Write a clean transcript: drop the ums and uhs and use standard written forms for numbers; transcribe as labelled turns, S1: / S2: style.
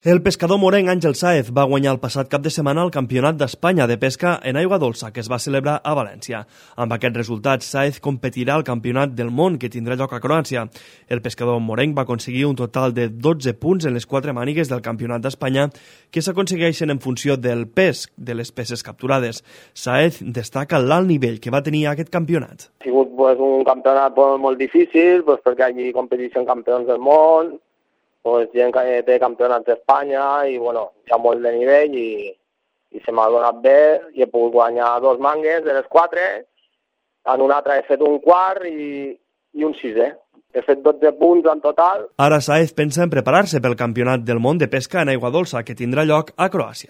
S1: El pescador morenc Àngel Sáez va guanyar el passat cap de setmana el Campionat d'Espanya de pesca en aigua dolça que es va celebrar a València. Amb aquest resultat, Sáez competirà al Campionat del món que tindrà lloc a Croàcia. El pescador morenc va aconseguir un total de 12 punts en les 4 mànigues del Campionat d'Espanya que s'aconsegueixen en funció del pes de les peces capturades. Sáez destaca l'alt nivell que va tenir aquest campionat.
S2: Ha sigut un campionat molt difícil perquè allí competeixen campions del món, gent que té campionats d'Espanya i hi ha molt de nivell i se m'ha donat bé i he pogut guanyar 2 mangues de les 4, en una altra he fet un quart i un 6è. He fet 12 punts en total.
S1: Ara Sáez pensa en preparar-se pel Campionat del món de pesca en aigua dolça que tindrà lloc a Croàcia.